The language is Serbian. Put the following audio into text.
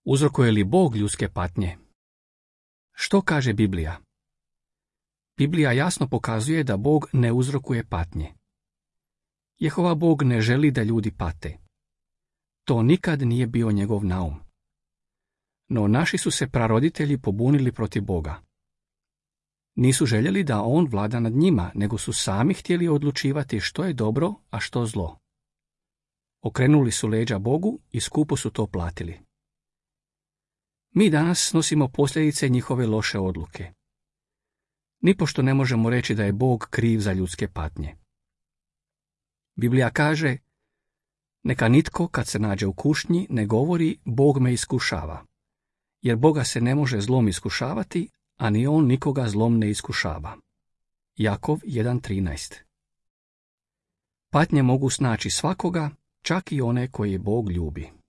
Uzrokuje li Bog ljudske patnje? Što kaže Biblija? Biblija jasno pokazuje da Bog ne uzrokuje patnje. Jehova Bog ne želi da ljudi pate. To nikad nije bio njegov naum. No naši su se praroditelji pobunili protiv Boga. Nisu željeli da on vlada nad njima, nego su sami htjeli odlučivati što je dobro, a što zlo. Okrenuli su leđa Bogu i skupo su to platili. Mi danas snosimo posljedice njihove loše odluke. Nipošto ne možemo reći da je Bog kriv za ljudske patnje. Biblija kaže: neka nitko kad se nađe u kušnji ne govori Bog me iskušava, jer Boga se ne može zlom iskušavati, a ni on nikoga zlom ne iskušava. Jakov 1.13. Patnje mogu snaći svakoga, čak i one koje Bog ljubi.